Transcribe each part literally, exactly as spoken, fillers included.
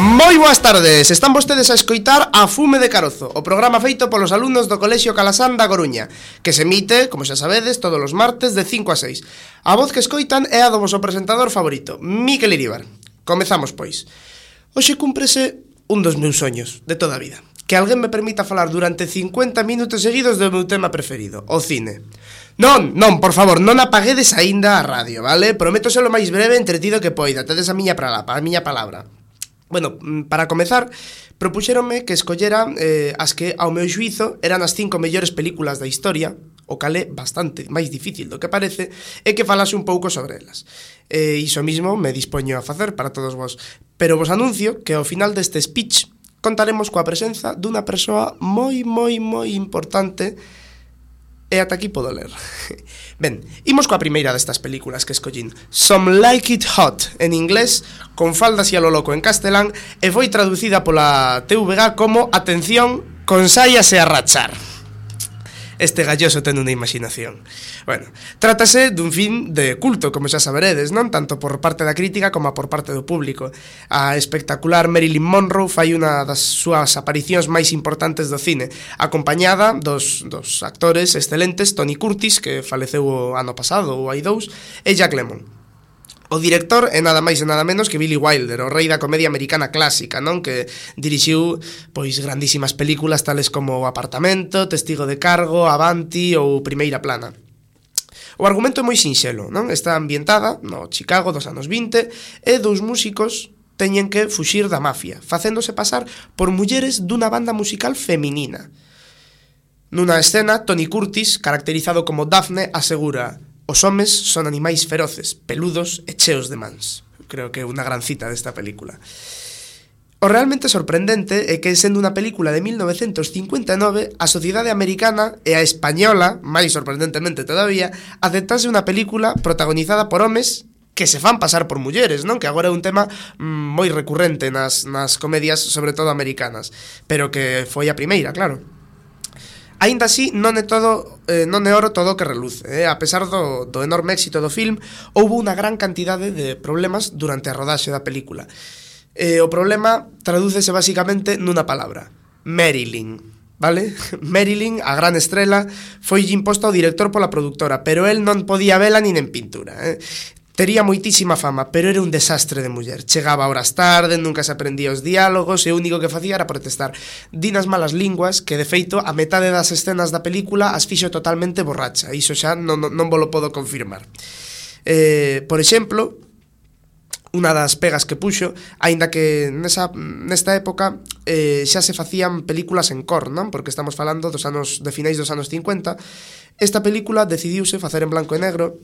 Moi boas tardes, están vostedes a escoitar A Fume de Carozo, o programa feito polos alumnos do Colexio Calasán da Coruña, que se emite, como xa sabedes, todos os martes de cinco a seis. A voz que escoitan é a do voso presentador favorito, Miquel Iríbar. Comezamos, pois. Hoxe cúmprese un dos meus soños de toda a vida, que alguén me permita falar durante cincuenta minutos seguidos do meu tema preferido, o cine. Non, non, por favor, non apaguedes aínda a radio, vale? Prometo ser o máis breve e entretido que poida, tedes a miña palabra, a miña palabra. Bueno, para comezar, propuxéronme que escollera eh, as que, ao meu xuízo, eran as cinco mellores películas da historia, o cal é bastante máis difícil do que parece, e que falase un pouco sobre elas. E iso mismo me dispoño a facer para todos vos. Pero vos anuncio que ao final deste speech contaremos coa presenza dunha persoa moi, moi, moi importante. E ata aquí podo ler. Ben, imos coa primeira destas películas que escollín, Some Like It Hot, en inglés, con faldas e a lo loco en castelán, e foi traducida pola T V G como Atención, consáiase a rachar. Este galloso ten unha imaginación. Bueno, trátase dun film de culto, como xa saberedes, non? Tanto por parte da crítica como por parte do público. A espectacular Marilyn Monroe fai unha das súas aparicións máis importantes do cine, acompañada dos, dos actores excelentes Tony Curtis, que faleceu o ano pasado, ou hai dous, e Jack Lemmon. O director é nada máis e nada menos que Billy Wilder, o rei da comedia americana clásica, non? Que dirixiu pois grandísimas películas tales como O Apartamento, Testigo de Cargo, Avanti ou Primeira Plana. O argumento é moi sinxelo, non? Está ambientada no Chicago dos anos vinte e dous músicos teñen que fuxir da mafia, facéndose pasar por mulleres dunha banda musical feminina. Nunha escena, Tony Curtis, caracterizado como Daphne, asegura: os homes son animais feroces, peludos e cheos de mans. Creo que é unha gran cita desta película. O realmente sorprendente é que, sendo unha película de mil novecentos cincuenta e nove, a sociedade americana e a española, máis sorprendentemente todavía, aceptase unha película protagonizada por homes que se fan pasar por mulleres, non? Que agora é un tema mm, moi recurrente nas, nas comedias, sobre todo americanas, pero que foi a primeira, claro. Aínda así, non é todo, eh, non é oro todo o que reluce, eh? A pesar do, do enorme éxito do film, houbo unha gran cantidade de problemas durante a rodaxe da película. Eh, o problema tradúcese basicamente nunha palabra: Marilyn, vale? Marilyn, a gran estrela, foi imposta ao director pola productora, pero el non podía vela nin en pintura, eh? Tería moitísima fama, pero era un desastre de muller. Chegaba horas tarde, nunca se aprendía os diálogos e o único que facía era protestar. Dinas malas linguas que, de feito, a metade das escenas da película as fixo totalmente borracha. Iso xa non, non, non vos lo podo confirmar. Eh, por exemplo, unha das pegas que puxo, aínda que nesa, nesta época eh, xa se facían películas en cor, non? Porque estamos falando dos anos de finais dos anos cincuenta. Esta película decidiuse facer en blanco e negro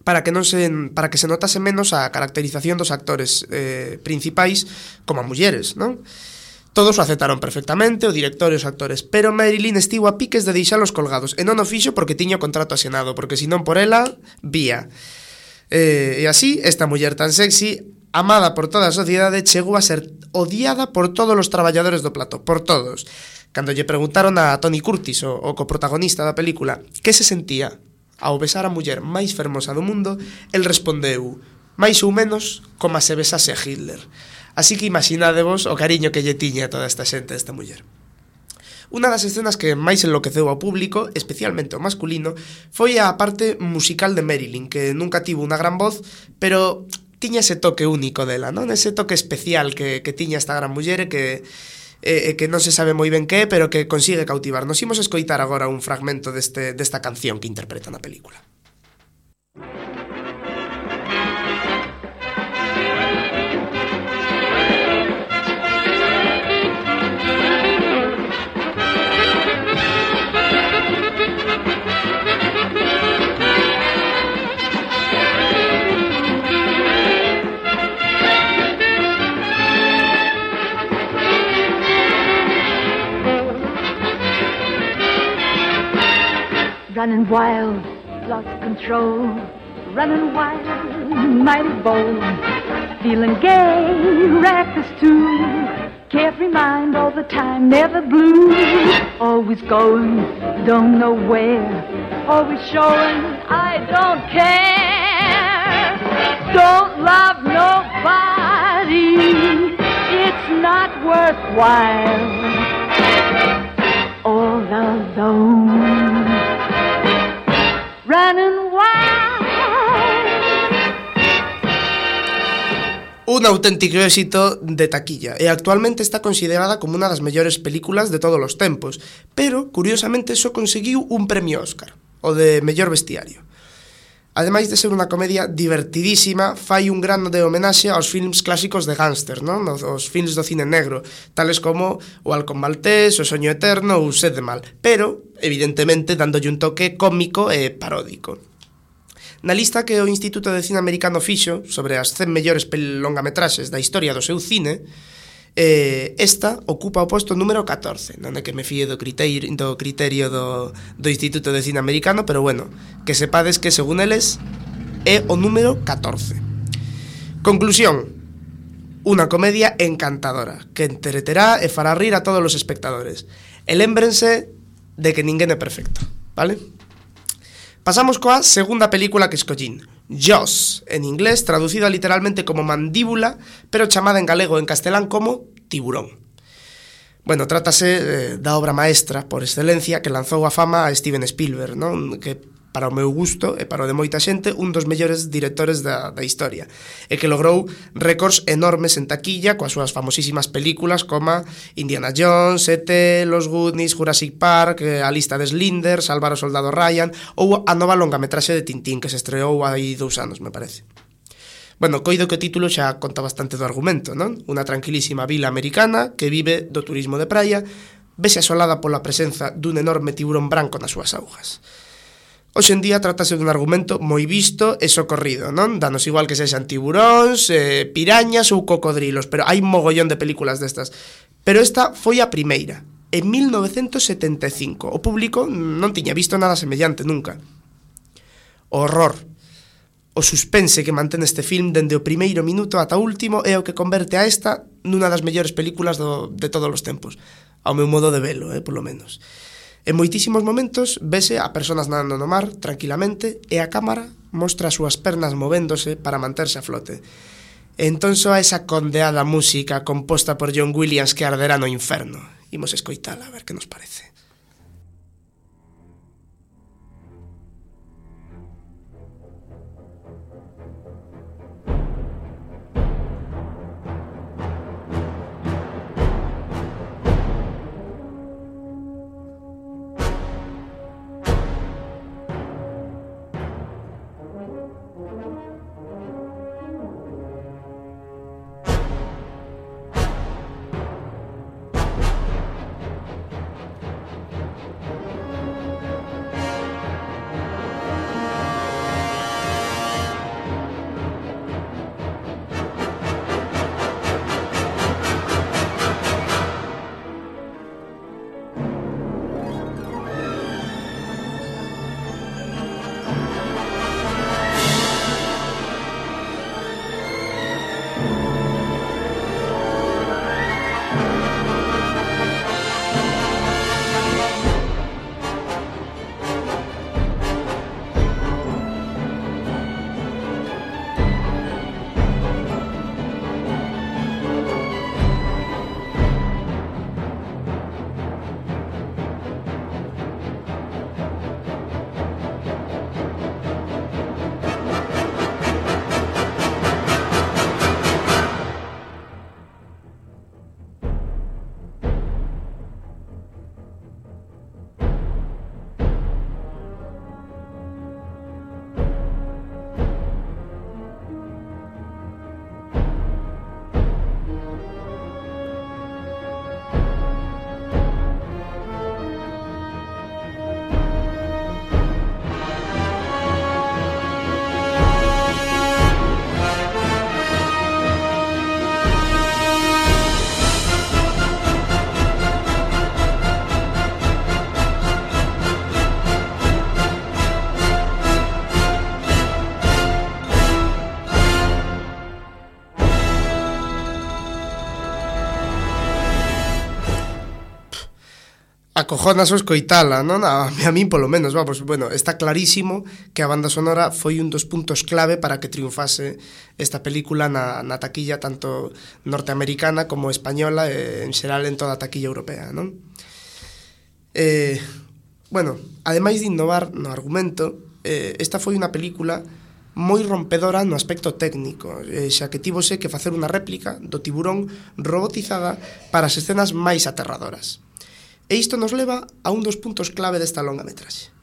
para que non se para que se notase menos a caracterización dos actores eh, principais como a mulleres, non? Todos o aceptaron perfectamente, o director e os actores, pero Marilyn estivo a piques de deixalos colgados, e non o fixo porque tiña o contrato asinado, porque senón por ela, vía. Eh, e así, esta muller tan sexy, amada por toda a sociedade, chegou a ser odiada por todos os traballadores do plató, por todos. Cando lle preguntaron a Tony Curtis, o, o coprotagonista da película, que se sentía ao besar a muller máis fermosa do mundo, el respondeu: máis ou menos como se besase a Hitler. Así que imaginadevos o cariño que lle tiña a toda esta xente esta muller. Unha das escenas que máis enloqueceu ao público, especialmente ao masculino, foi a parte musical de Marilyn, que nunca tivo unha gran voz, pero tiña ese toque único dela, non? Ese toque especial que, que tiña esta gran muller e que eh, que non se sabe moi ben que é, pero que consigue cautivar. Nos imos escoitar agora un fragmento deste, desta canción que interpreta na película. Running wild, lost control. Running wild, mighty bold. Feeling gay, reckless too. Carefree mind all the time, never blue. Always going, don't know where. Always showing, I don't care. Don't love nobody. It's worthwhile. All alone, running wild. Un auténtico éxito de taquilla e actualmente está considerada como unha das mellores películas de todos os tempos, pero, curiosamente, só conseguiu un premio Óscar, o de mellor vestiario. Ademais de ser unha comedia divertidísima, fai un grande de homenaxe aos films clásicos de gángster, non? Os films do cine negro, tales como O Halcón Maltés, O Soño Eterno ou Sed de Mal, pero, evidentemente, dándolle un toque cómico e paródico. Na lista que o Instituto de Cine Americano fixo sobre as cen mellores longametraxes da historia do seu cine, eh, esta ocupa o posto número catorce, non é que me fíe do criterio do, criterio do, do Instituto de Cine Americano, pero bueno, que sepades que según eles é o número catorce. Conclusión: unha comedia encantadora que entreterá e fará rir a todos os espectadores. E lémbrense de que ninguén é perfecto, vale? Pasamos coa segunda película que escollín, Jaws, en inglés, traducida literalmente como mandíbula, pero chamada en galego e en castelán como tiburón. Bueno, trátase eh, da obra maestra por excelencia que lanzou a fama a Steven Spielberg, non? Que para o meu gusto e para o de moita xente un dos mellores directores da, da historia, e que logrou récords enormes en taquilla coas súas famosísimas películas como Indiana Jones, E T, Los Goonies, Jurassic Park, A Lista de Schindler, Salvar o Soldado Ryan ou a nova longametraxe de Tintín que se estreou hai dous anos, me parece. Bueno, coido que o título xa conta bastante do argumento, non? Unha tranquilísima vila americana que vive do turismo de praia, vese asolada pola presenza dun enorme tiburón branco nas súas augas. Hoxe en día trátase dun argumento moi visto e socorrido, non? Danos igual que sexan tiburóns, eh, pirañas ou cocodrilos, pero hai mogollón de películas destas. Pero esta foi a primeira, en mil novecentos setenta e cinco. O público non tiña visto nada semellante nunca. O horror, o suspense que mantén este film dende o primeiro minuto ata o último é o que converte a esta nunha das mellores películas do, de todos os tempos. Ao meu modo de velo, eh, polo menos. En moitísimos momentos vese a personas nadando no mar tranquilamente e a cámara mostra as súas pernas movéndose para manterse a flote. E entón soa esa condeada música composta por John Williams que arderá no inferno. Imos escoitala a ver que nos parece. acojonas o escoitala, non? A, a min polo menos, vamos, bueno, está clarísimo que a banda sonora foi un dos puntos clave para que triunfase esta película na, na taquilla tanto norteamericana como española e en xeral en toda a taquilla europea, non? Eh, bueno, ademais de innovar no argumento, eh, esta foi unha película moi rompedora no aspecto técnico, eh, xa que tivose que facer unha réplica do tiburón robotizada para as escenas máis aterradoras. E isto nos leva a un dos puntos clave desta longa metraxe.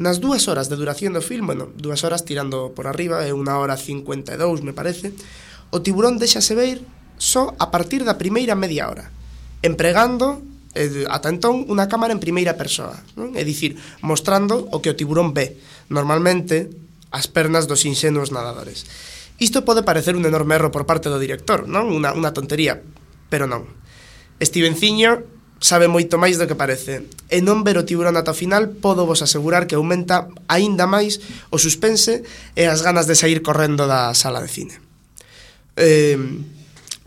Nas dúas horas de duración do film, bueno, dúas horas tirando por arriba, é unha hora cincuenta e dous, me parece, o tiburón deixase ver só a partir da primeira media hora, empregando, eh, ata entón, unha cámara en primeira persoa, non? É dicir, mostrando o que o tiburón ve, normalmente as pernas dos inxenuos nadadores. Isto pode parecer un enorme erro por parte do director, non? Unha, unha tontería, pero non. Stevenciño sabe moito máis do que parece, e non ver o tiburón ata o final podo vos asegurar que aumenta aínda máis o suspense e as ganas de sair correndo da sala de cine. Eh,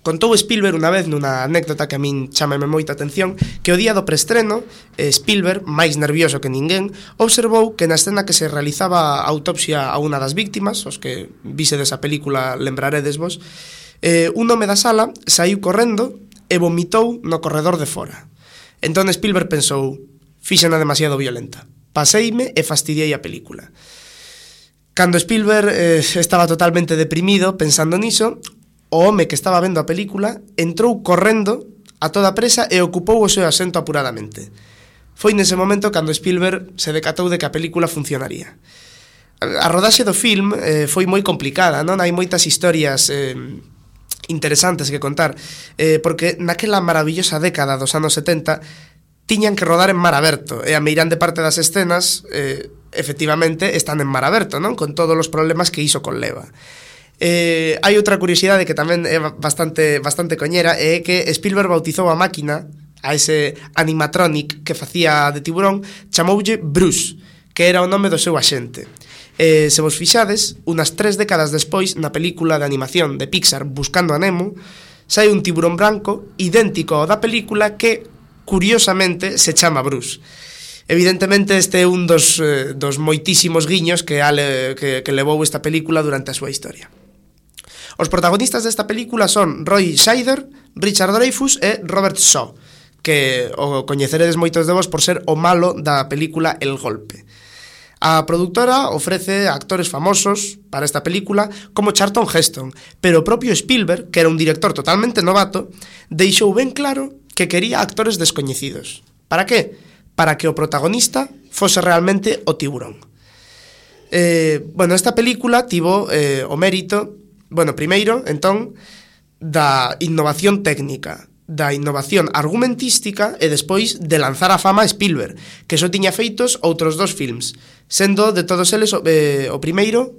contou Spielberg unha vez nunha anécdota que a min chámame moita atención, que o día do preestreno, Spielberg, máis nervioso que ninguén, observou que na escena que se realizaba a autopsia a unha das víctimas, os que visedes a película lembraredes vos, eh, un home da sala saiu correndo e vomitou no corredor de fora. Entón Spielberg pensou, fíxena demasiado violenta, paseime e fastidiei a película. Cando Spielberg eh, estaba totalmente deprimido pensando niso, o home que estaba vendo a película entrou correndo a toda presa e ocupou o seu asento apuradamente. Foi nese momento cando Spielberg se decatou de que a película funcionaría. A rodaxe do film eh, foi moi complicada, non? Hai moitas historias eh, interesantes que contar, eh, porque naquela maravillosa década dos anos setenta tiñan que rodar en mar aberto, e a meirande parte das escenas eh, efectivamente están en mar aberto, non? Con todos os problemas que iso conleva. Eh, hai outra curiosidade que tamén é bastante, bastante coñera, é que Spielberg bautizou a máquina, a ese animatronic que facía de tiburón, chamoulle Bruce, que era o nome do seu axente. Eh, se vos fixades, unas tres décadas despois, na película de animación de Pixar Buscando a Nemo, sai un tiburón branco idéntico ao da película que, curiosamente, se chama Bruce. Evidentemente, este é un dos, eh, dos moitísimos guiños que, ale, que, que levou esta película durante a súa historia. Os protagonistas desta película son Roy Scheider, Richard Dreyfuss e Robert Shaw, que o coñeceredes moitos de vos por ser o malo da película El Golpe. A produtora ofrece actores famosos para esta película como Charlton Heston, pero o propio Spielberg, que era un director totalmente novato, deixou ben claro que quería actores descoñecidos. Para que? Para que o protagonista fose realmente o tiburón. Eh, bueno, esta película tivo eh, o mérito, bueno, primeiro, entón, da innovación técnica, da innovación argumentística e despois de lanzar a fama a Spielberg, que só tiña feitos outros dos films, sendo de todos eles eh, o primeiro,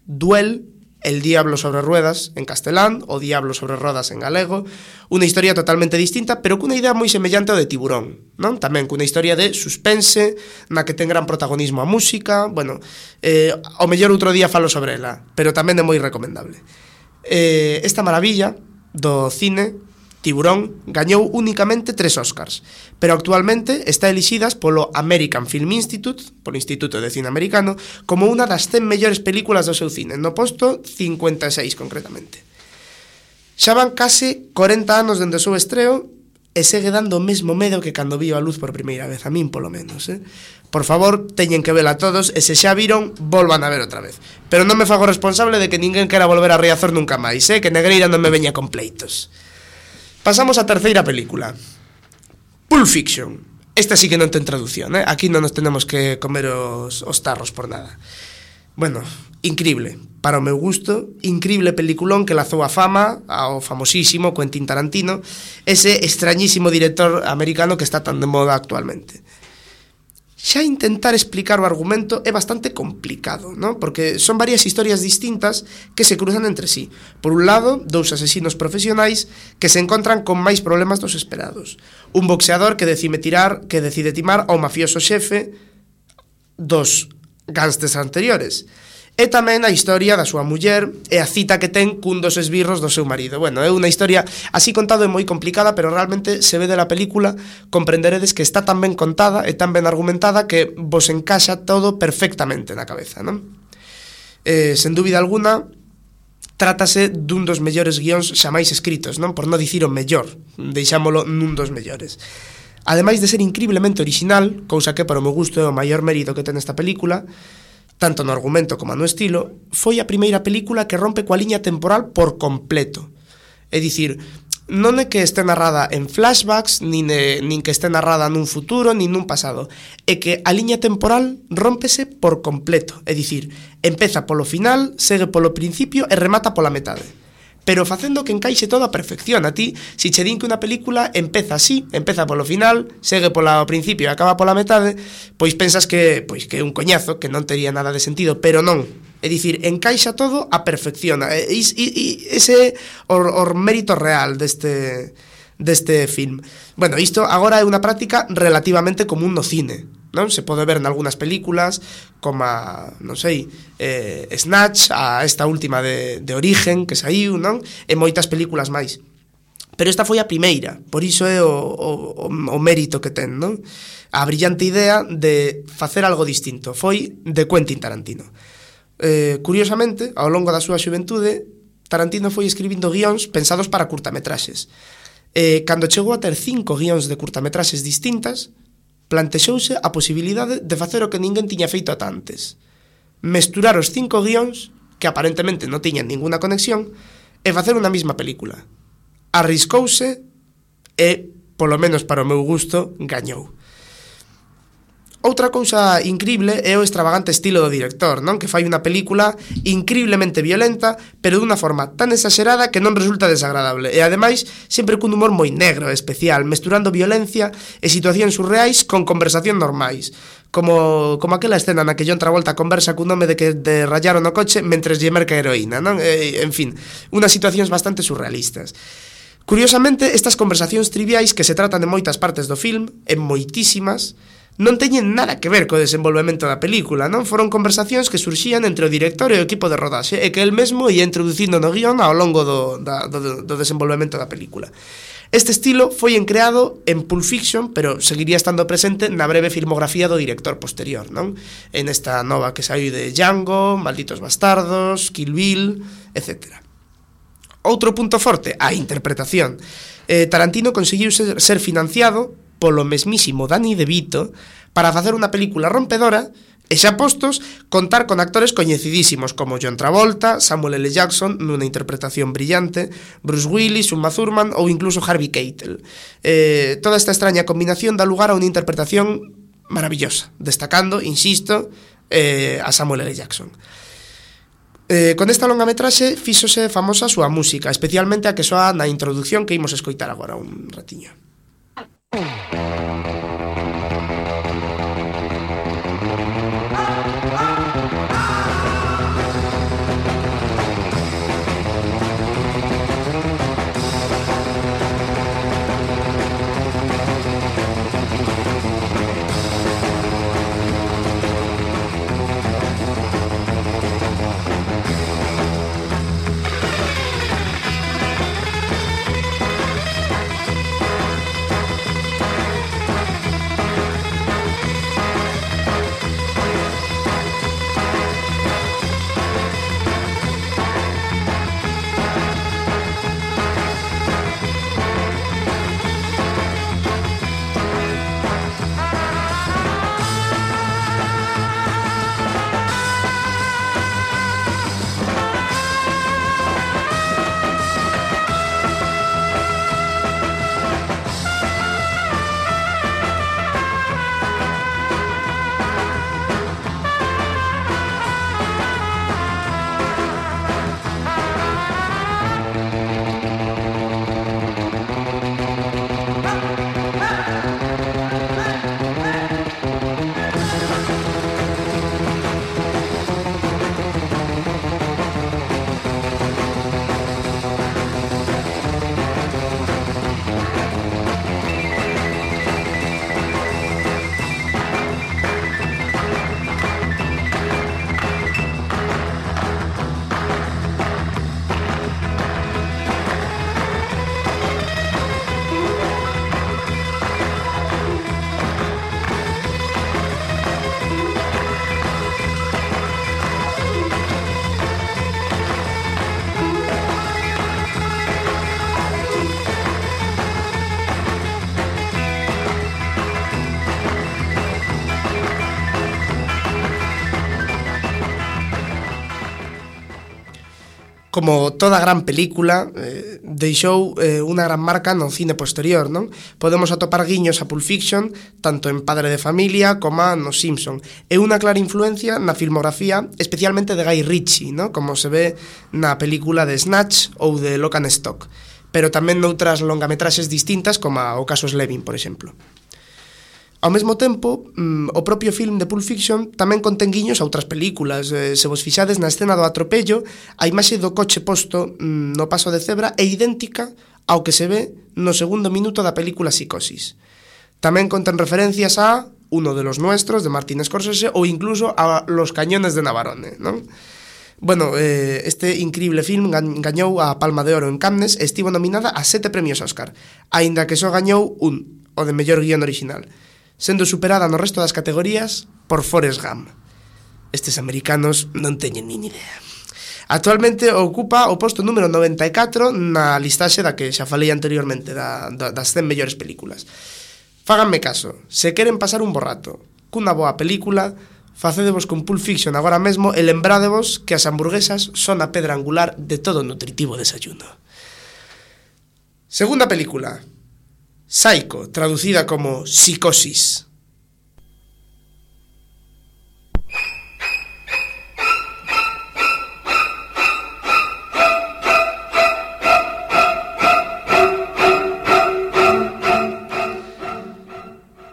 Duel, El diablo sobre ruedas en castelán, O diablo sobre rodas en galego, unha historia totalmente distinta, pero cunha idea moi semellante ao de Tiburón, non? Tamén cunha historia de suspense, na que ten gran protagonismo a música, bueno, eh, ao mellor outro día falo sobre ela, pero tamén é moi recomendable. Eh, esta maravilla do cine, Tiburón, gañou únicamente tres Oscars, pero actualmente está elixidas polo American Film Institute, polo Instituto de Cine Americano, como unha das cen mellores películas do seu cine, no posto cincuenta e seis concretamente. Xa van case corenta anos dende o seu estreo e segue dando o mesmo medo que cando vio a luz por primeira vez, a min polo menos, eh? Por favor, teñen que vela todos e se xa viron, volvan a ver outra vez. Pero non me fago responsable de que ninguén quera volver a Riazor nunca máis, eh? Que Negreira non me veña con pleitos. Pasamos á terceira película, Pulp Fiction. Esta sí que non ten traducción, eh? Aquí non nos tenemos que comer os, os tarros por nada. Bueno, increíble, para o meu gusto, increíble peliculón que lazou a fama ao famosísimo Quentin Tarantino, ese extrañísimo director americano que está tan de moda actualmente. Xa intentar explicar o argumento é bastante complicado, ¿no? Porque son varias historias distintas que se cruzan entre sí. Por un lado, dous asesinos profesionais que se encontran con máis problemas dos esperados. Un boxeador que decide tirar, que decide timar ao mafioso xefe dos gángsters anteriores. e tamén a historia da súa muller e a cita que ten cun dos esbirros do seu marido. Bueno, é unha historia así contado é moi complicada, pero realmente se ve de la película comprenderedes que está tan ben contada e tan ben argumentada que vos encaixa todo perfectamente na cabeza, non? Eh, sen dúbida alguna, trátase dun dos mellores guións xa máis escritos, non? Por non dicir o mellor, deixámolo nun dos mellores. Ademais de ser increíblemente original, cousa que para o meu gusto é o maior mérito que ten esta película, tanto no argumento como no estilo, foi a primeira película que rompe coa liña temporal por completo. É dicir, non é que este narrada en flashbacks, nin, eh, nin que este narrada nun futuro, nin nun pasado. É que a liña temporal rómpese por completo. É dicir, empeza polo final, segue polo principio e remata pola metade. Pero facendo que encaixe todo a perfección. A ti, si che din que unha película empeza así, empeza polo final, segue polo principio e acaba pola metade, pois pensas que pois que é un coñazo, que non tería nada de sentido, pero non. É dicir, encaixa todo a perfección. E, e, e ese é o, o mérito real deste, deste film. Bueno, isto agora é unha práctica relativamente común no cine, non? Se pode ver en algunhas películas como a, non sei, eh, Snatch, a esta última de, de Origen que saiu, non? E moitas películas máis. Pero esta foi a primeira, por iso é o, o, o mérito que ten, non? A brillante idea de facer algo distinto foi de Quentin Tarantino. Eh, curiosamente, ao longo da súa xuventude, Tarantino foi escribindo guións pensados para curtametraxes. Eh, cando chegou a ter cinco guións de curtametraxes distintas, plantexouse a posibilidade de facer o que ninguén tiña feito ata antes: mesturar os cinco guións, que aparentemente non tiñan ninguna conexión, e facer unha mesma película. Arriscouse e, polo menos para o meu gusto, gañou. Outra cousa increíble é o extravagante estilo do director, non? Que fai unha película increíblemente violenta, pero dunha forma tan exagerada que non resulta desagradable. E ademais, sempre cun humor moi negro e especial, mesturando violencia e situacións surreais con conversación normais. Como, como aquela escena na que John Travolta conversa cun home de que de rayaron o coche mentres lle merca heroína, non? E, en fin, unas situacións bastante surrealistas. Curiosamente, estas conversacións triviais que se tratan de moitas partes do film, en moitísimas, non teñen nada que ver co desenvolvemento da película, non? Foron conversacións que surxían entre o director e o equipo de rodaxe e que el mesmo ia introducindo no guión ao longo do, da, do, do desenvolvemento da película. Este estilo foi encreado en Pulp Fiction, pero seguiría estando presente na breve filmografía do director posterior, non? En esta nova que saiu de Django, Malditos Bastardos, Kill Bill, etcétera. Outro punto forte, a interpretación. Eh, Tarantino conseguiu ser, ser financiado polo mesmísimo Danny DeVito para facer unha película rompedora e xa postos contar con actores coñecidísimos como John Travolta, Samuel L. Jackson nunha interpretación brillante, Bruce Willis, Uma Thurman ou incluso Harvey Keitel. Eh, toda esta extraña combinación dá lugar a unha interpretación maravillosa, destacando, insisto, eh, a Samuel L. Jackson. Eh, con esta longa metraxe fíxose famosa a súa música, especialmente a que soa na introducción que imos escoitar agora un ratiño. como toda gran película, eh, deixou eh, unha gran marca no cine posterior, non? Podemos atopar guiños a Pulp Fiction, tanto en Padre de Familia como nos Simpson. É unha clara influencia na filmografía, especialmente de Guy Ritchie, non? Como se ve na película de Snatch ou de Lock and Stock, pero tamén noutras longametraxes distintas, como o caso Slevin, por exemplo. Ao mesmo tempo, mm, o propio film de Pulp Fiction tamén contén guiños a outras películas. Eh, se vos fixades na escena do atropello, a imaxe do coche posto mm, no paso de cebra é idéntica ao que se ve no segundo minuto da película Psicosis. Tamén contén referencias a Uno de los nuestros, de Martin Scorsese, ou incluso a Los cañones de Navarone, non? Bueno, eh, este increíble film gañou a Palma de Oro en Cannes e estivo nominada a sete premios Óscar, aínda que só gañou un, o de mellor guión original, sendo superada no resto das categorías por Forrest Gump. Estes americanos non teñen nin idea. Actualmente ocupa o posto número noventa e catro na listaxe da que xa falei anteriormente, da, da, das cen mellores películas. Fáganme caso, se queren pasar un bo rato cunha boa película, facedevos con Pulp Fiction agora mesmo e lembrádevos que as hamburguesas son a pedra angular de todo nutritivo desayuno. Segunda película, Psycho, traducida como Psicosis.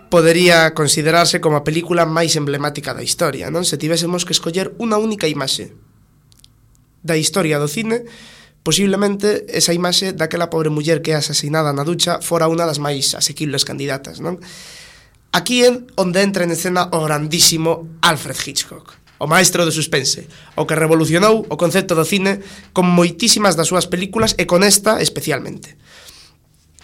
Podería considerarse como a película máis emblemática da historia, non? Se tivésemos que escoller unha única imaxe da historia do cine, posiblemente esa imaxe daquela pobre muller que é asesinada na ducha fora unha das máis asequibles candidatas, non? Aquí é onde entra en escena o grandísimo Alfred Hitchcock, o maestro do suspense, o que revolucionou o concepto do cine con moitísimas das súas películas e con esta especialmente.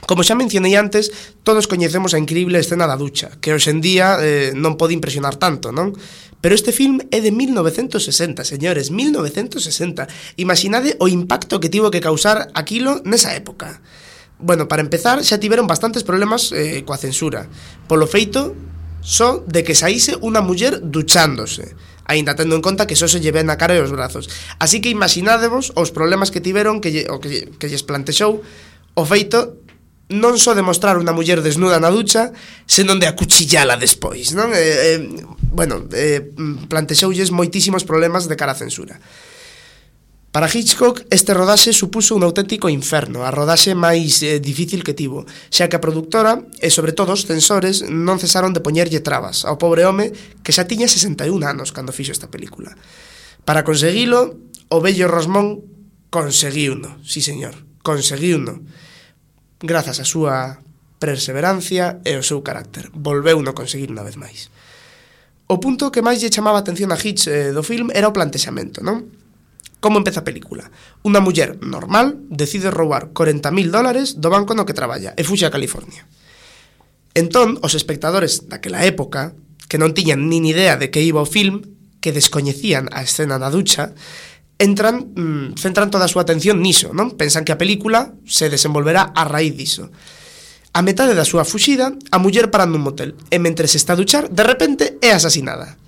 Como xa mencionei antes, todos coñecemos a increíble escena da ducha, que hoxe en día eh, non pode impresionar tanto, non? Pero este film é de mil novecentos sesenta, señores, mil novecentos sesenta. Imaginade o impacto que tivo que causar aquilo nesa época. Bueno, para empezar, xa tiveron bastantes problemas eh, coa censura, polo feito só de que saíse unha muller duchándose, aínda tendo en conta que só se lle ven a cara e os brazos. Así que imaginádevos os problemas que tiveron, que, lle, o que, que lles plantexou o feito non só demostrar unha muller desnuda na ducha, senón de acuchillala despois, non? Eh, eh, bueno, eh, plantexoulles moitísimos problemas de cara a censura. Para Hitchcock, este rodaxe supuso un auténtico inferno, a rodaxe máis eh, difícil que tivo, xa que a produtora e sobre todo os censores non cesaron de poñerlle trabas ao pobre home que xa tiña sesenta e un anos cando fixo esta película. Para conseguilo, o vello Rosmón conseguiuno, sí señor, conseguiuno. Grazas á súa perseverancia e ao seu carácter. Volveuno conseguir unha vez máis. O punto que máis lle chamaba a atención a Hitch eh, do film era o plantexamento, non? Como empeza a película? Unha muller normal decide roubar corenta mil dólares do banco no que traballa e fuxe a California. Entón, os espectadores daquela época, que non tiñan nin idea de que iba o film, que descoñecían a escena da ducha, entran, mmm, centran toda a súa atención niso, non? Pensan que a película se desenvolverá a raíz diso. A metade da súa fuxida, a muller para nun motel, e mentre se está a duchar, de repente é asasinada.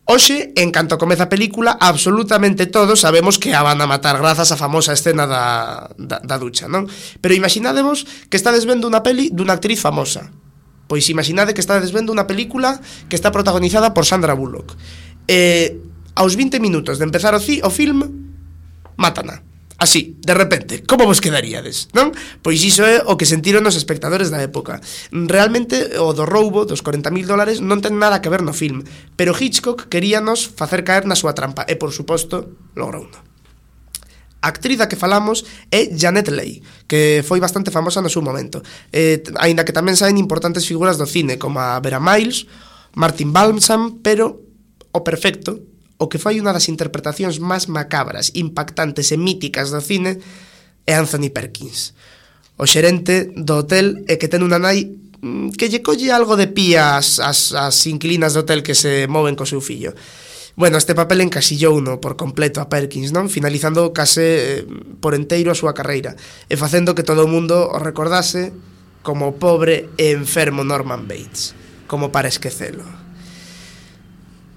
Hoxe, en canto comeza a película, absolutamente todos sabemos que a van a matar grazas á famosa escena da, da, da ducha, non? Pero imaginádevos que estades vendo unha peli dunha actriz famosa. Pois imaginade que estades vendo unha película que está protagonizada por Sandra Bullock. E aos vinte minutos de empezar o, ci, o film, mátana. Así, de repente. Como vos quedaríades, non? Pois iso é o que sentiron os espectadores da época. Realmente, o do roubo dos corenta mil dólares non ten nada que ver no film, pero Hitchcock queríanos facer caer na súa trampa, e, por suposto, logrouno. A actriz da que falamos é Janet Leigh, que foi bastante famosa no seu momento, eh, aínda que tamén saen importantes figuras do cine, como a Vera Miles, Martin Balsam, pero o perfecto, o que foi unha das interpretacións máis macabras, impactantes e míticas do cine é Anthony Perkins, o xerente do hotel e que ten unha nai que lle colle algo de pía as, as, as inquilinas do hotel que se moven co seu fillo. Bueno, este papel encasillou-no por completo a Perkins, non? Finalizando case eh, por enteiro a súa carreira e facendo que todo o mundo o recordase como o pobre e enfermo Norman Bates, como para esquecelo.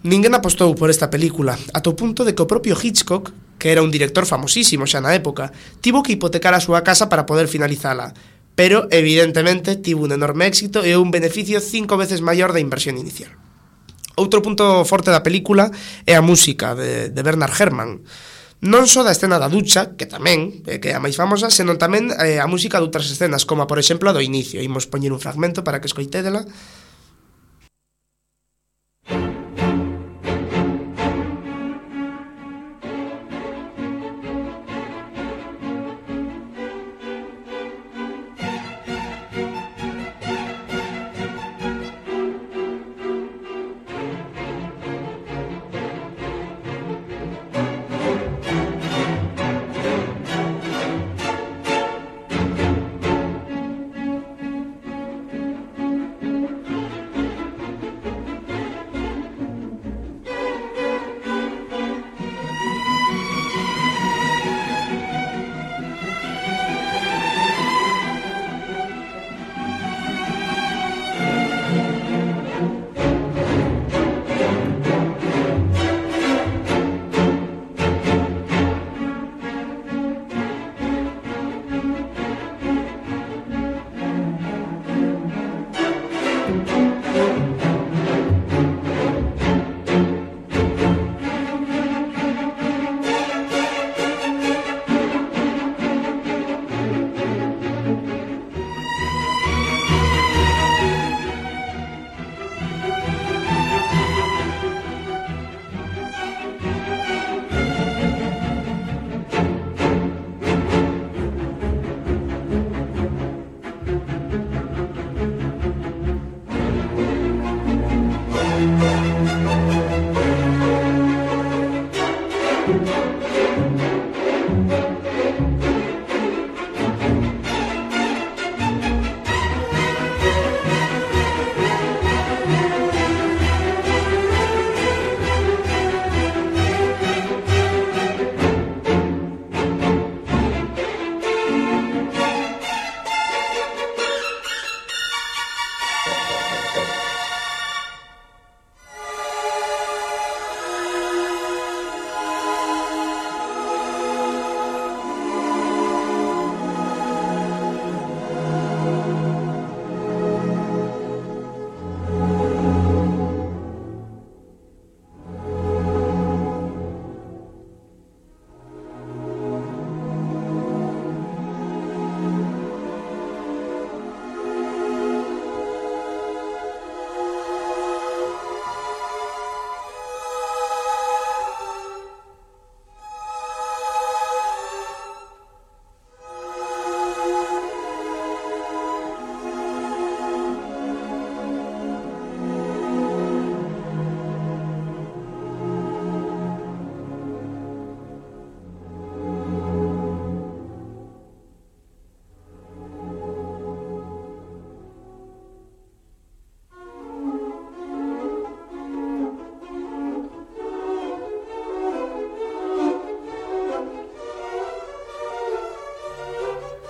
Ninguén apostou por esta película, ata o punto de que o propio Hitchcock que era un director famosísimo xa na época, tivo que hipotecar a súa casa para poder finalizala, pero evidentemente tivo un enorme éxito e un beneficio cinco veces maior da inversión inicial. Outro punto forte da película é a música de, de Bernard Herrmann. Non só da escena da ducha, que tamén, eh, que é a máis famosa, senón tamén eh, a música de outras escenas, como por exemplo a do inicio. Imos poñer un fragmento para que escoitedela.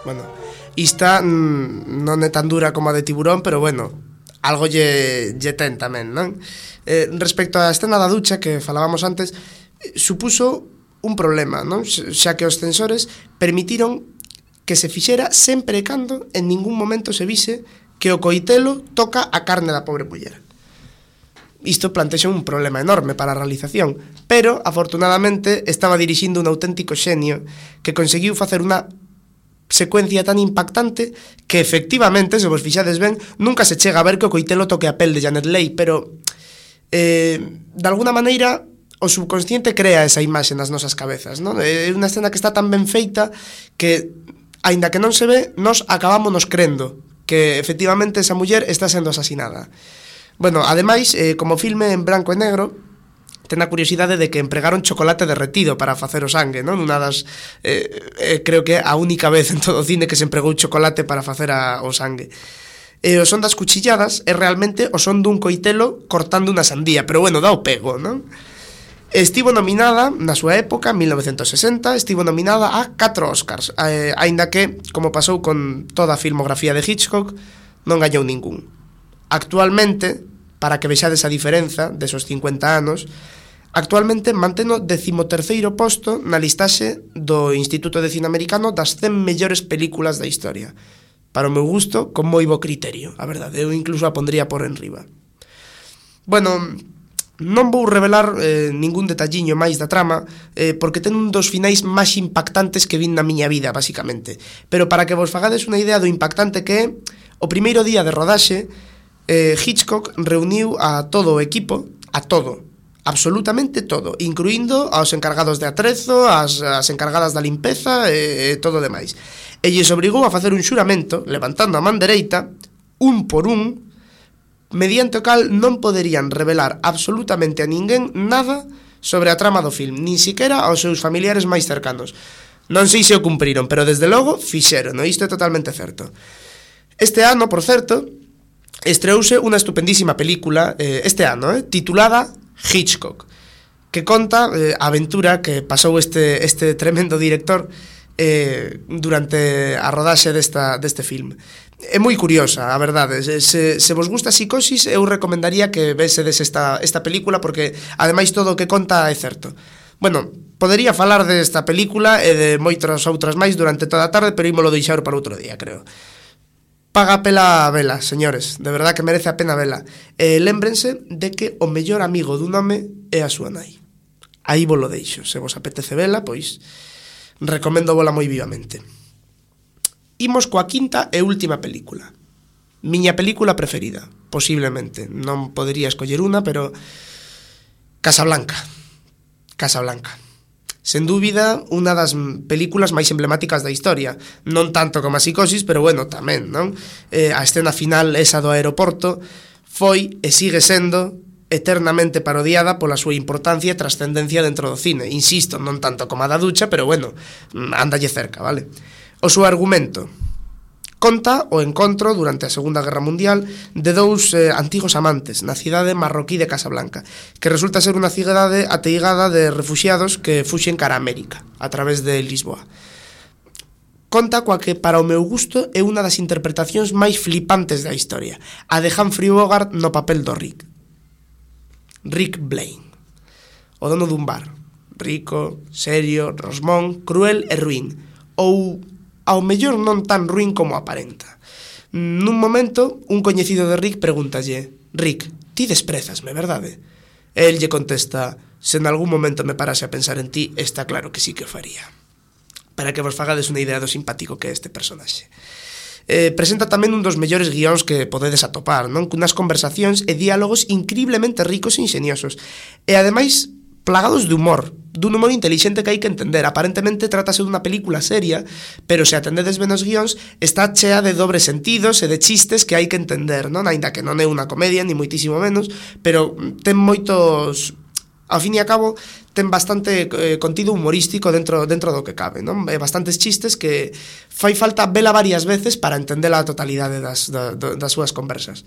Bueno, ista mm, non é tan dura como a de Tiburón, pero bueno, algo lle, lle ten tamén, non? Eh, respecto á escena da ducha que falábamos antes, supuso un problema, non? Xa que os censores permitiron que se fixera sempre e cando en ningún momento se vise que o coitelo toca a carne da pobre muller. Isto plantexa un problema enorme para a realización, pero, afortunadamente, estaba dirixindo un auténtico xenio que conseguiu facer unha secuencia tan impactante que, efectivamente, se vos fixades ben, nunca se chega a ver que o coitelo toque a pel de Janet Leigh, pero, eh, de alguna maneira, o subconsciente crea esa imaxe nas nosas cabezas, non? É unha escena que está tan ben feita que, aínda que non se ve, nos acabámonos crendo que, efectivamente, esa muller está sendo asasinada. Bueno, ademais, eh, como filme en branco e negro, ten a curiosidade de que empregaron chocolate derretido para facer o sangue, non? Unha das, eh, eh, creo que a única vez en todo o cine que se empregou chocolate para facer a, o sangue. E o son das cuchilladas é realmente o son dun coitelo cortando unha sandía, pero bueno, dá o pego, non? Estivo nominada, na súa época, en mil novecentos sesenta, estivo nominada a catro Oscars, eh, aínda que, como pasou con toda a filmografía de Hitchcock, non gañou ningún. Actualmente, para que vexades a diferenza desos cincuenta anos, Actualmente mantén o decimoterceiro posto na listaxe do Instituto de Cine Americano das cen mellores películas da historia. Para o meu gusto, con moi bo criterio, a verdade, eu incluso a pondría por enriba. Bueno, non vou revelar eh, ningún detalliño máis da trama, eh, porque ten un dos finais máis impactantes que vin na miña vida, basicamente. Pero para que vos fagades unha idea do impactante que é, o primeiro día de rodaxe, eh, Hitchcock reuniu a todo o equipo, a todo, absolutamente todo, incluindo aos encargados de atrezo, as, as encargadas da limpeza e, e todo o demais. E lles obrigou a facer un xuramento, levantando a man dereita, un por un, mediante o cal non poderían revelar absolutamente a ninguén nada sobre a trama do film, nin siquiera aos seus familiares máis cercanos. Non sei se o cumpriron, pero desde logo fixeron, no? Isto é totalmente certo. Este ano, por certo, estreouse unha estupendísima película, eh, este ano, eh, titulada Hitchcock, que conta eh, a aventura que pasou este, este tremendo director eh, durante a rodaxe desta, deste film. É moi curiosa, a verdade. Se, se vos gusta a psicosis, eu recomendaría que vesedes esta, esta película, porque ademais todo o que conta é certo. Bueno, podería falar desta película e de moitas outras máis durante toda a tarde, pero ímolo deixar para outro día, creo. Paga pela vela, señores, de verdad que merece a pena vela. E lémbrense de que o mellor amigo dun home é a súa nai. Aí vos lo deixo, se vos apetece vela, pois recomendo vola moi vivamente. Imos coa quinta e última película. Miña película preferida, posiblemente. Non podería escoller unha, pero Casablanca. Casablanca. Sen dúbida, unha das películas máis emblemáticas da historia. Non tanto como a Psicosis, pero bueno, tamén, non? Eh, a escena final, esa do aeroporto, foi e sigue sendo eternamente parodiada pola súa importancia e trascendencia dentro do cine. Insisto, non tanto como a da ducha, pero bueno, ándalle cerca, vale? O seu argumento conta o encontro durante a Segunda Guerra Mundial de dous eh, antigos amantes na cidade marroquí de Casablanca, que resulta ser unha cidade ateigada de refuxiados que fuxen cara a América a través de Lisboa. Conta coa que, para o meu gusto, é unha das interpretacións máis flipantes da historia, a de Humphrey Bogart no papel do Rick. Rick Blaine, o dono dun bar, rico, serio, rosmón, cruel e ruín, ou ao mellor non tan ruín como aparenta. Nun momento, un coñecido de Rick pregúntalle: Rick, ti desprezasme, verdade? E el lle contesta: se en algún momento me parase a pensar en ti, está claro que sí que o faría. Para que vos fagades unha idea do simpático que é este personaxe. Eh, presenta tamén un dos mellores guións que podedes atopar, non? Cunas conversacións e diálogos increíblemente ricos e ingeniosos. E ademais plagados de humor, dun humor intelixente que hai que entender. Aparentemente trátase dunha película seria, pero se atendedes ben os guións, está chea de dobres sentidos e de chistes que hai que entender, non? Ainda que non é unha comedia, ni moitísimo menos, pero ten moitos... Ao fin e a cabo, ten bastante eh, contido humorístico dentro, dentro do que cabe, non? E bastantes chistes que fai falta vela varias veces para entender a totalidade das, da, das súas conversas.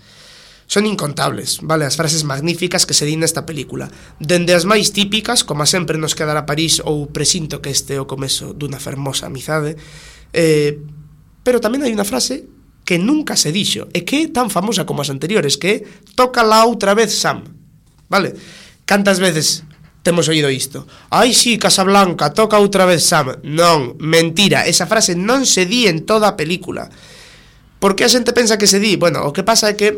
Son incontables, vale, as frases magníficas que se din nesta película, dende as máis típicas, como a sempre nos quedará París ou presinto que este é o comezo dunha fermosa amizade, eh, pero tamén hai unha frase que nunca se dixo e que é tan famosa como as anteriores, que é tócala outra vez, Sam, vale? Cantas veces temos oído isto? Ai, sí, Casablanca, toca outra vez, Sam. Non, mentira, esa frase non se di en toda a película. Por que a xente pensa que se di? Bueno, o que pasa é que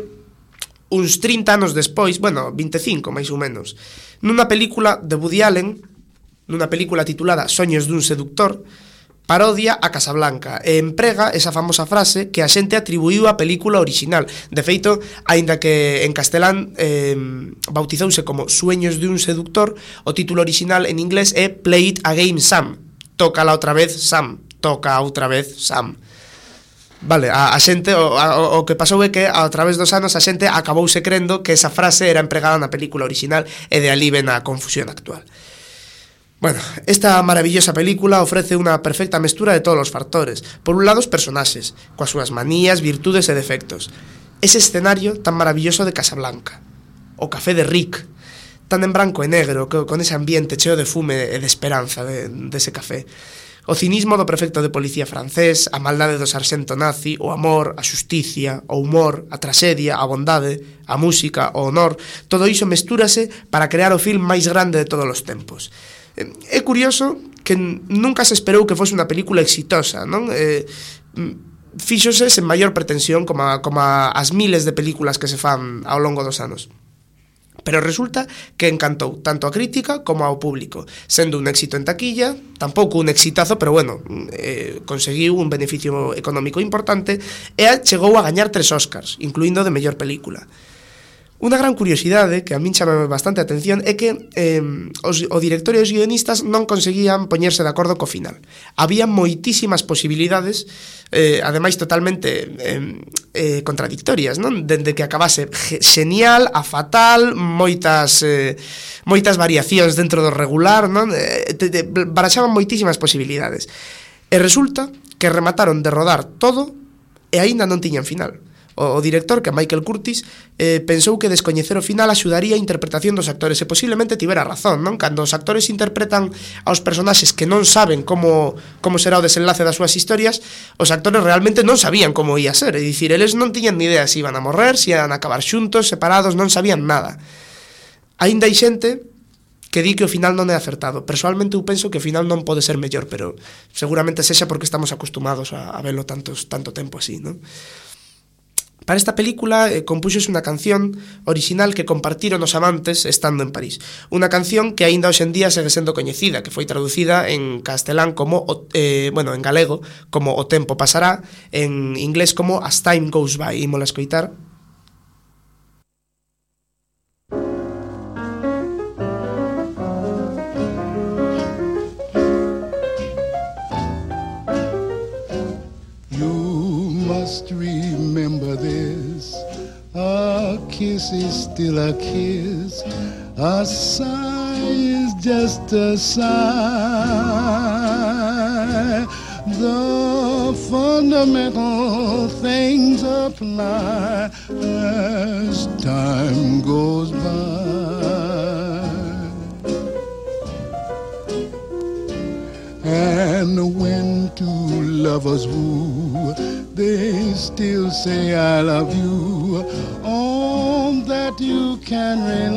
uns trinta anos despois, bueno, vinte e cinco máis ou menos, nunha película de Woody Allen, nunha película titulada Soños dun seductor, parodia a Casablanca e emprega esa famosa frase que a xente atribuiu á película original. De feito, aínda que en castelán eh, bautizouse como Sueños dun seductor, o título original en inglés é Play It Again, Sam. Tócala outra vez, Sam. Toca outra vez, Sam. Vale, a, a xente, o, a, o que pasou é que a través dos anos a xente acabouse crendo que esa frase era empregada na película original e de ali ven a confusión actual. Bueno, esta maravillosa película ofrece unha perfecta mestura de todos os factores. Por un lado, os personaxes, coas súas manías, virtudes e defectos. Ese escenario tan maravilloso de Casablanca. O café de Rick, tan en branco e negro, con ese ambiente cheo de fume e de esperanza de, de ese café. O cinismo do prefecto de policía francés, a maldade do sarxento nazi, o amor, a xusticia, o humor, a traxedia, a bondade, a música, o honor, todo iso mestúrase para crear o film máis grande de todos os tempos. É curioso que nunca se esperou que fose unha película exitosa, non? Eh, fíxose sen maior pretensión como, a, como a, as miles de películas que se fan ao longo dos anos. Pero resulta que encantou tanto a crítica como ao público, sendo un éxito en taquilla, tampouco un exitazo, pero bueno, eh, conseguiu un beneficio económico importante e chegou a gañar tres Óscars, incluindo de mellor película. Unha gran curiosidade que a min chama bastante a atención é que eh, os, o director e os guionistas non conseguían poñerse de acordo co final. Había moitísimas posibilidades, eh, ademais totalmente eh, eh, contradictorias, non? Dende que acabase genial a fatal, moitas eh, moitas variacións dentro do regular, non? Eh, te, te, baraxaban moitísimas posibilidades. E resulta que remataron de rodar todo e aínda non tiñan final. O director, que é Michael Curtis, eh, pensou que descoñecer o final axudaría a interpretación dos actores, e posiblemente tivera razón, non? Cando os actores interpretan aos personaxes que non saben como, como será o desenlace das súas historias, os actores realmente non sabían como ia ser, é dicir, eles non tiñan ni idea se iban a morrer, se iban a acabar xuntos, separados, non sabían nada. Aínda hai xente que di que o final non é acertado. Personalmente eu penso que o final non pode ser mellor, pero seguramente sexa porque estamos acostumados a, a velo tantos, tanto tempo así, non? Para esta película eh, compúxose unha canción original que compartiron os amantes estando en París. Unha canción que aínda hoxe en día segue sendo coñecida, que foi traducida en castelán como, eh, bueno, en galego, como O tempo pasará, en inglés como As time goes by. Ímola escoitar. Remember this, a kiss is still a kiss, a sigh is just a sigh. The fundamental things apply as time goes by. And when two lovers woo, they still say I love you, on that you can rely.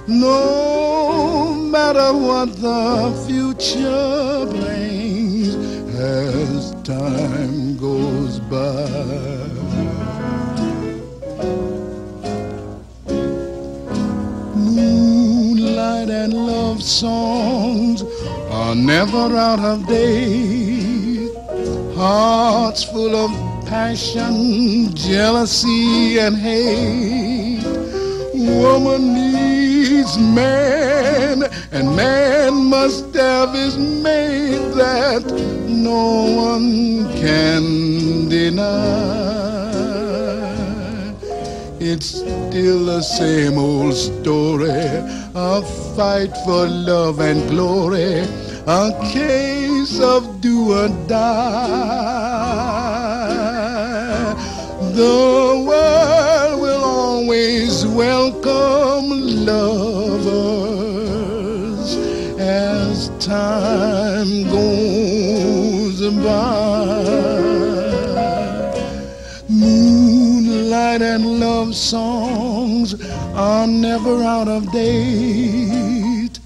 No matter what the future brings as time goes by. Moonlight and love songs are never out of date. Hearts full of passion, jealousy and hate. Woman needs man, and man must have his mate that no one can deny. It's still the same old story, a fight for love and glory, a case of do or die. The world will always welcome lovers as time goes by. Moonlight and love songs are never out of date.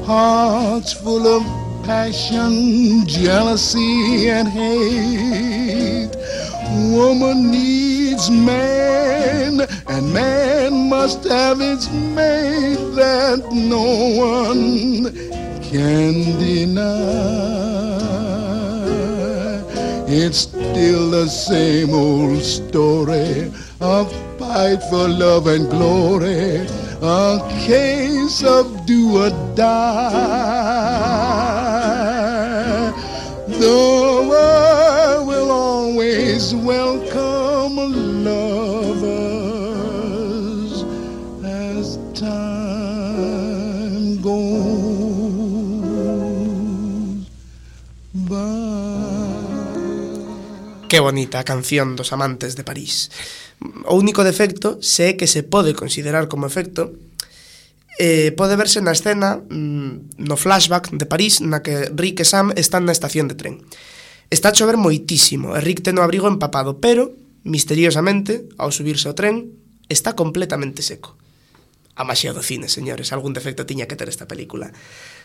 Hearts full of passion, jealousy and hate. Woman needs man, and man must have its mate that no one can deny. It's still the same old story, a fight for love and glory, a case of do or die. The world will always welcome lovers as time goes by. Que bonita a canción dos amantes de París. O único defecto, se é que se pode considerar como efecto, eh, pode verse na escena mm, no flashback de París na que Rick e Sam están na estación de tren. Está a chover moitísimo e Rick ten o abrigo empapado, pero, misteriosamente, ao subirse ao tren, está completamente seco. A maxia do cine, señores, algún defecto tiña que ter esta película.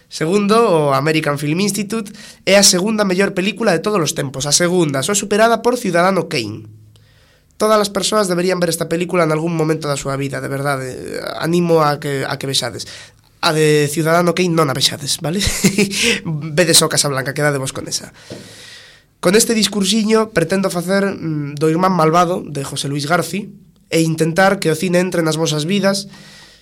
Segundo, o American Film Institute é a segunda mellor película de todos os tempos, a segunda, só superada por Ciudadano Kane. Todas as persoas deberían ver esta película en algún momento da súa vida, de verdade, animo a que, a que vexades. A de Ciudadano Kane non a vexades, vale? Vedes o Casablanca, quedadevos con esa. Con este discursiño pretendo facer mm, do Irmán Malvado de José Luis Garci e intentar que o cine entre nas vosas vidas,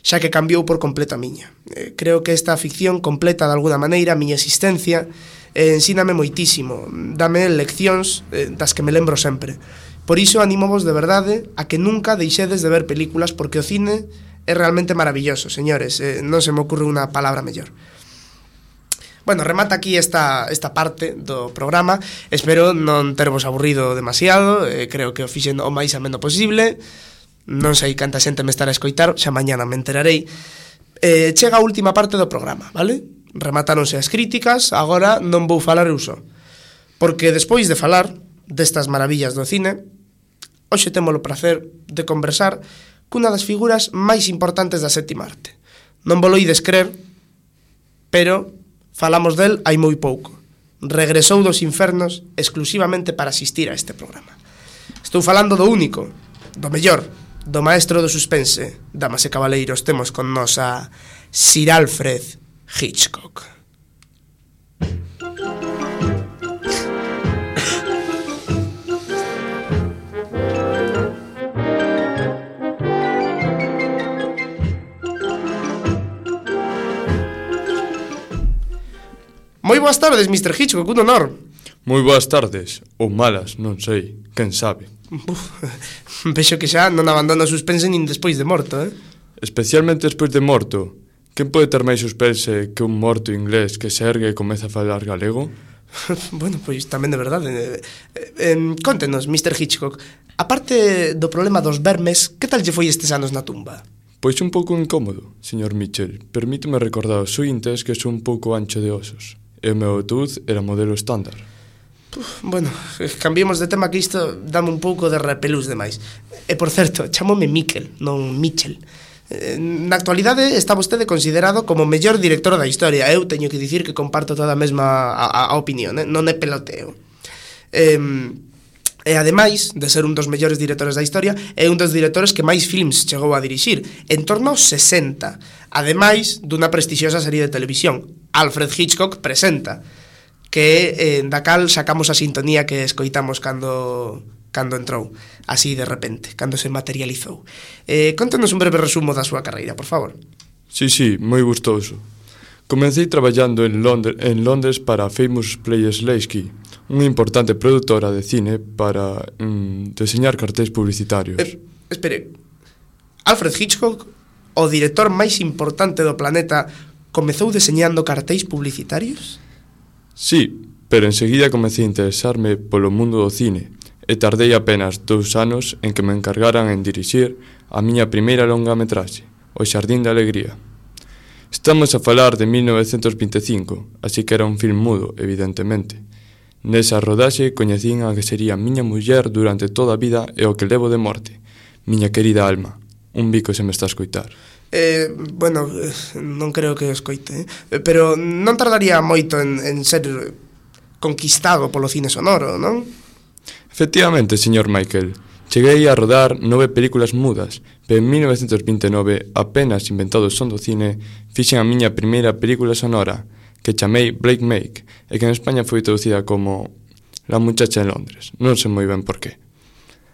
xa que cambiou por completo a miña. Eh, creo que esta ficción completa de alguna maneira a miña existencia e eh, ensíname moitísimo, dame leccións eh, das que me lembro sempre. Por iso animovos de verdade a que nunca deixedes de ver películas porque o cine é realmente maravilloso, señores, eh, non se me ocurre unha palabra mellor. Bueno, remata aquí esta, esta parte do programa. Espero non tervos aburrido demasiado, eh, creo que o fixen o máis ameno posible. Non sei canta xente me estará a escoitar, xa mañana me enterarei. Eh, chega a última parte do programa, vale? Rematáronse as críticas, agora non vou falar eu só. Porque despois de falar destas maravillas do cine, hoxe temos o prazer de conversar cunha das figuras máis importantes da sétima arte. Non vos lo ides crer, pero falamos del hai moi pouco. Regresou dos infernos exclusivamente para asistir a este programa. Estou falando do único, do mellor, do maestro do suspense. Damas e cabaleiros, temos con nos a Sir Alfred Hitchcock. Moi boas tardes, mister Hitchcock, un honor. Moi boas tardes, ou malas, non sei, quen sabe. Uf, vexo que xa non abandono o suspense nin despois de morto, eh? Especialmente despois de morto. Quen pode ter máis suspense que un morto inglés que se ergue e comeza a falar galego? Bueno, pois tamén de verdade. Eh, eh, contenos, mister Hitchcock, aparte do problema dos vermes, que tal lle foi estes anos na tumba? Pois un pouco incómodo, señor Mitchell. Permíteme recordar aos ointes que sou un pouco ancho de osos. E o meu autobús era modelo estándar. Uf, bueno, cambiemos de tema que isto dame un pouco de repelús demais. E por certo, chamome Miquel, non Mitchell. Na actualidade está vostede considerado como o mellor director da historia. Eu teño que dicir que comparto toda a mesma a, a, a opinión, eh? Non é peloteo. E, e ademais de ser un dos mellores directores da historia, é un dos directores que máis films chegou a dirixir, en torno aos sesenta. Ademais dunha prestixiosa serie de televisión, Alfred Hitchcock Presenta, que eh, da cal sacamos a sintonía que escoitamos cando cando entrou, así de repente, cando se materializou. Eh, contanos un breve resumo da súa carreira, por favor. Sí, sí, moi gustoso. Comecei traballando en Londres, en Londres para Famous Players Lasky, unha importante produtora de cine para mm, deseñar cartéis publicitarios. Eh, espere, Alfred Hitchcock, o director máis importante do planeta, comezou deseñando cartéis publicitarios? Sí, pero enseguida comecei a interesarme polo mundo do cine e tardei apenas dous anos en que me encargaran en dirixir a miña primeira longametraxe, O Xardín da Alegría. Estamos a falar de mil novecentos vinte e cinco, así que era un film mudo, evidentemente. Nesa rodaxe coñecín a que sería miña muller durante toda a vida e o que levo de morte, miña querida alma. Un bico se me está a escoitar. Eh, bueno, non creo que o escoite, eh? Pero non tardaría moito en, en ser conquistado polo cine sonoro, non? Efectivamente, señor Michael, cheguei a rodar nove películas mudas, pero en mil novecentos vinte e nove, apenas inventado o son do cine, fixen a miña primeira película sonora, que chamei Blake Make, e que en España foi traducida como La muchacha en Londres, non sei moi ben por qué.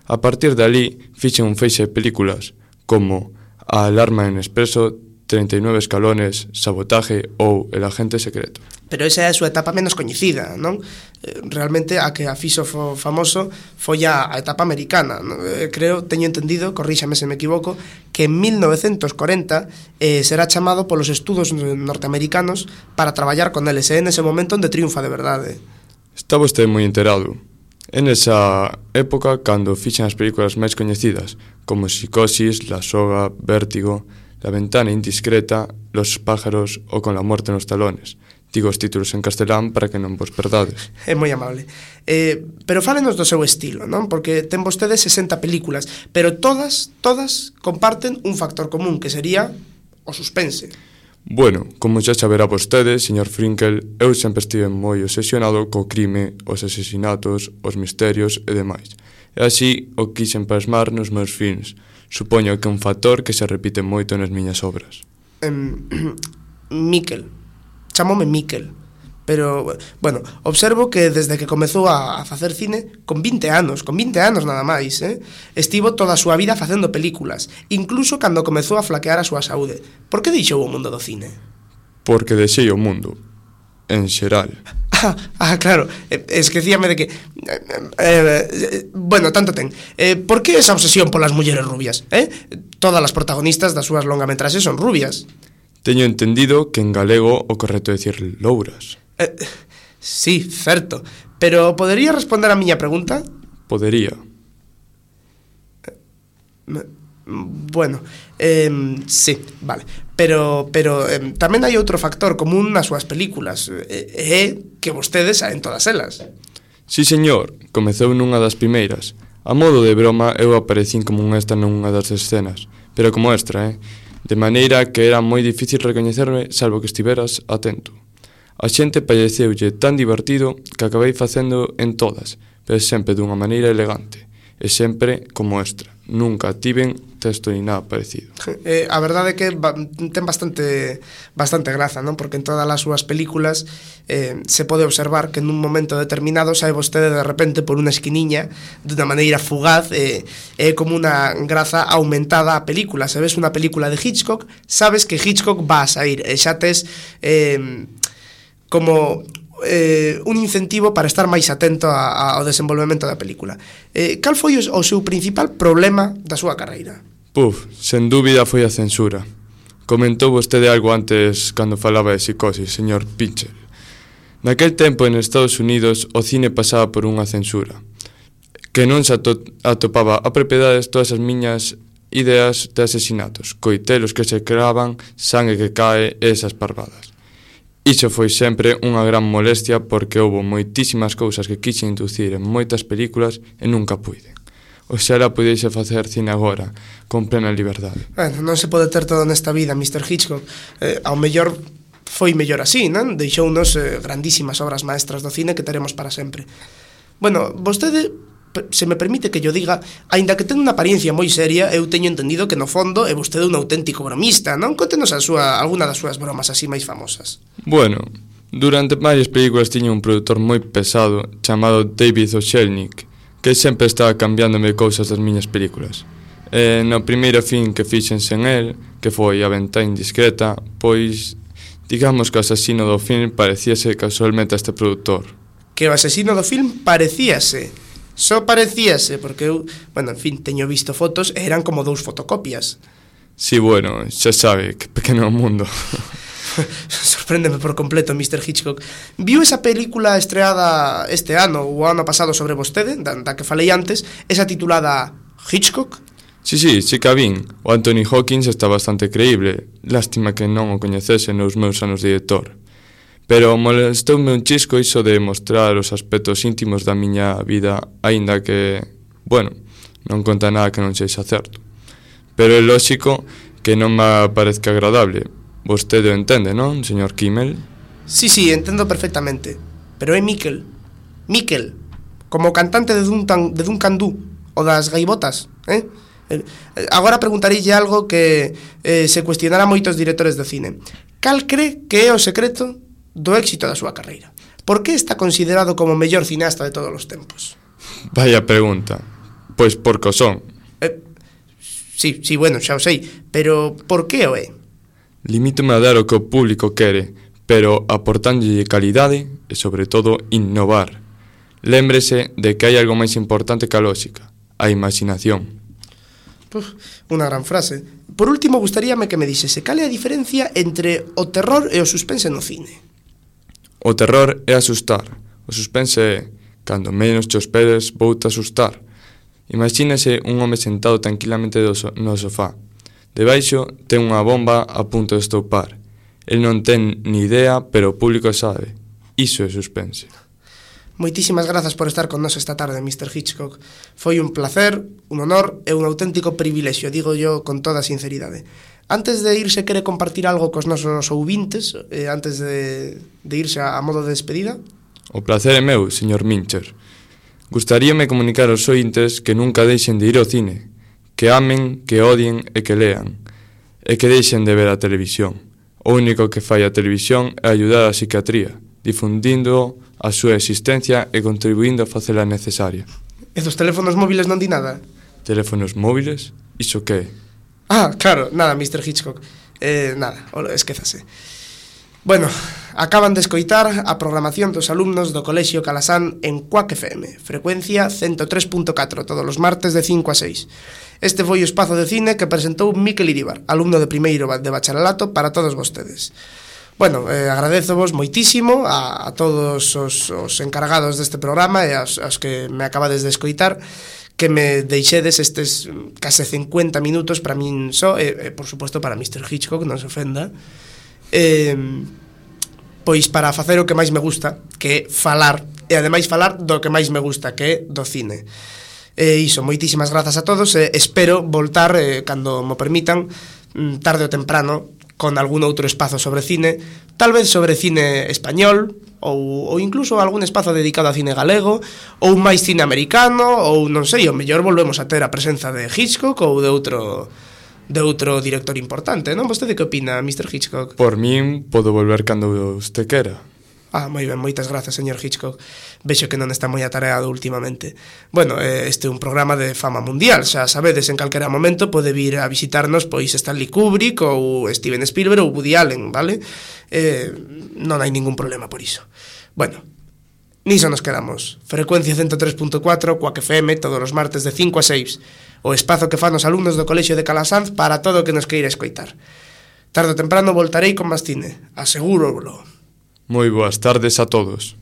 A partir de ali, fixen un feixe de películas, como A alarma en expreso, treinta e nove escalones, Sabotaje ou El agente secreto. Pero esa é a súa etapa menos coñecida, non? Realmente a que a fixo famoso foi a, a etapa americana, non? Creo, teño entendido, corríxame se me equivoco, que en mil novecentos corenta eh, será chamado polos estudos norteamericanos para traballar con eles, e en ese momento onde triunfa de verdade. Está vostede moi enterado. En esa época, cando fixen as películas máis coñecidas, como Psicosis, La Soga, Vértigo, La ventana indiscreta, Los pájaros ou Con la muerte nos talones. Digo os títulos en castelán para que non vos perdades. É moi amable. Eh, pero fálenos do seu estilo, non? Porque ten vostedes sesenta películas, pero todas, todas comparten un factor común, que sería o suspense. Bueno, como xa saberá vostede, señor Frinkel, eu sempre estive moi obsesionado co crime, os asesinatos, os misterios e demais. E así o quixen plasmar nos meus films. Supoño que é un factor que se repite moito nas miñas obras. Um, Miquel. Chamoume Miquel. Pero, bueno, observo que desde que comezou a, a facer cine, con vinte anos, con vinte anos nada máis, eh, estivo toda a súa vida facendo películas, incluso cando comezou a flaquear a súa saúde. Por que deixou o mundo do cine? Porque deixei o mundo, en xeral. Ah, ah claro, eh, esquecíame de que... Eh, eh, bueno, tanto ten. Eh, por que esa obsesión polas mulleres rubias? Eh? Todas as protagonistas das súas longametraxes son rubias. Teño entendido que en galego o correcto é dicir louras. Eh, sí, certo. Pero podería responder a miña pregunta? Podería. Eh, bueno, eh, sí, vale. Pero, pero eh, tamén hai outro factor común nas súas películas. É eh, que vostedes saen todas elas. Sí, señor, comezou nunha das primeiras. A modo de broma, eu aparecín como un extra nunha das escenas. Pero como extra, eh? De maneira que era moi difícil recoñecerme, salvo que estiveras atento. A xente pareceulle tan divertido que acabei facendo en todas, pero sempre dunha maneira elegante, e sempre como extra. Nunca tiven texto ni nada parecido. Eh, a verdade é que ba ten bastante bastante graza, non? Porque en todas as súas películas eh, se pode observar que nun momento determinado sae vostede de repente por unha esquiniña dunha maneira fugaz, e eh, é como unha graza aumentada a película. Se ves unha película de Hitchcock, sabes que Hitchcock va a sair, e xa tes eh, como... Eh, un incentivo para estar máis atento a, a, ao desenvolvemento da película. Eh, cal foi o, o seu principal problema da súa carreira? Puf, sen dúbida foi a censura. Comentou vostede algo antes cando falaba de Psicosis, señor Pincher. Naquel tempo en Estados Unidos o cine pasaba por unha censura que non se ato atopaba a propiedades todas as miñas ideas de asesinatos, coitelos que se cravan, sangue que cae e esas parvadas. Iso foi sempre unha gran molestia porque houbo moitísimas cousas que quixen inducir en moitas películas e nunca puiden. Oxalá pudiese facer cine agora, con plena liberdade. Bueno, non se pode ter todo nesta vida, mister Hitchcock. Eh, ao mellor foi mellor así, non? Deixounos eh, grandísimas obras maestras do cine que teremos para sempre. Bueno, vostede, se me permite que yo diga, aínda que ten unha apariencia moi seria, eu teño entendido que no fondo é vostede un auténtico bromista, non? Contenos a súa, alguna das súas bromas así máis famosas. Bueno, durante varias películas tiña un produtor moi pesado chamado David O. Selznick, que sempre estaba cambiándome cousas das miñas películas. E no primeiro fin que fixen sen el, que foi A ventá indiscreta, pois, digamos que o asesino do film parecíase casualmente a este produtor. Que o asesino do film parecíase... Só parecíase, porque eu, bueno, en fin, teño visto fotos e eran como dous fotocopias. Sí, bueno, xa sabe, que pequeno mundo. Sorpréndeme por completo, mister Hitchcock. Viu esa película estreada este ano, ou ano pasado sobre vostede, da, da que falei antes, esa titulada Hitchcock? Sí, sí, sí que a vin. O Anthony Hawkins está bastante creíble. Lástima que non o coñecese nos meus anos de director. Pero molestoume un chisco iso de mostrar os aspectos íntimos da miña vida, aínda que, bueno, non conta nada que non sexa certo. Pero é lóxico que non me parezca agradable. Vostede o entende, non, señor Kimmel? Sí, sí, entendo perfectamente. Pero é Miquel. Miquel, como o cantante de Duncan, de Duncan Du, o das gaivotas, eh? Agora preguntarílle algo que eh, se cuestionará moitos directores de cine. Cal cree que é o secreto do éxito da súa carreira? Por que está considerado como o mellor cineasta de todos os tempos? Vaya pregunta. Pois porque o son. Eh, sí, sí, bueno, xa o sei. Pero por que o é? Limítome a dar o que o público quere, pero aportándolle calidade e, sobre todo, innovar. Lémbrese de que hai algo máis importante que a lógica, a imaginación. Uf, unha gran frase. Por último, gustaríame que me dixese cal é a diferencia entre o terror e o suspense no cine. O terror é asustar. O suspense é, cando menos te esperes, vou te asustar. Imagínese un home sentado tranquilamente no sofá. Debaixo ten unha bomba a punto de estoupar. El non ten ni idea, pero o público sabe. Iso é suspense. Moitísimas grazas por estar con nos esta tarde, mister Hitchcock. Foi un placer, un honor e un auténtico privilexio, digo yo con toda sinceridade. Antes de irse, quere compartir algo cos nosos ouvintes, eh, antes de, de irse a, a modo de despedida? O placer é meu, señor Mincher. Gustaríame comunicar aos ointes que nunca deixen de ir ao cine, que amen, que odien e que lean, e que deixen de ver a televisión. O único que fai a televisión é ayudar a psiquiatría, difundindo a súa existencia e contribuindo a facela necesaria. E dos teléfonos móviles non di nada? Teléfonos móviles? Iso que? Ah, claro, nada, mister Hitchcock. Eh, nada, esquézase. Bueno, acaban de escoitar a programación dos alumnos do Colexio Calasán en Cuac F M, frecuencia ciento tres punto catro, todos os martes de cinco a seis. Este foi o espazo de cine que presentou Miquel Iríbar, alumno de primeiro de bacharelato para todos vostedes. Bueno, eh, agradezovos moitísimo a, a todos os, os encargados deste programa e aos, aos que me acabades de escoitar, que me deixedes estes case cincuenta minutos para min só, e, e por suposto para mister Hitchcock, non se ofenda, eh, pois para facer o que máis me gusta, que é falar, e ademais falar do que máis me gusta, que é do cine. E iso, moitísimas grazas a todos, e espero voltar, eh, cando mo permitan, tarde ou temprano, con algún outro espazo sobre cine, tal vez sobre cine español, ou, ou incluso algún espazo dedicado a cine galego, ou máis cine americano, ou non sei, o mellor volvemos a ter a presenza de Hitchcock ou de outro de outro director importante, non? Vostede que opina, mister Hitchcock? Por min, podo volver cando usted quera. Ah, moi ben, moitas grazas, señor Hitchcock. Vexo que non está moi atareado últimamente. Bueno, este é un programa de fama mundial, xa sabedes, en calquera momento pode vir a visitarnos pois Stanley Kubrick ou Steven Spielberg ou Woody Allen, vale? Eh, non hai ningún problema por iso. Bueno, niso nos quedamos. Frecuencia ciento tres punto catro, Cuac F M, todos os martes de cinco a seis. O espazo que fan os alumnos do Colexio de Calasanz para todo o que nos queira escoitar. Tarde ou temprano voltarei con máis cine, asegúrolo. Moi boas tardes a todos.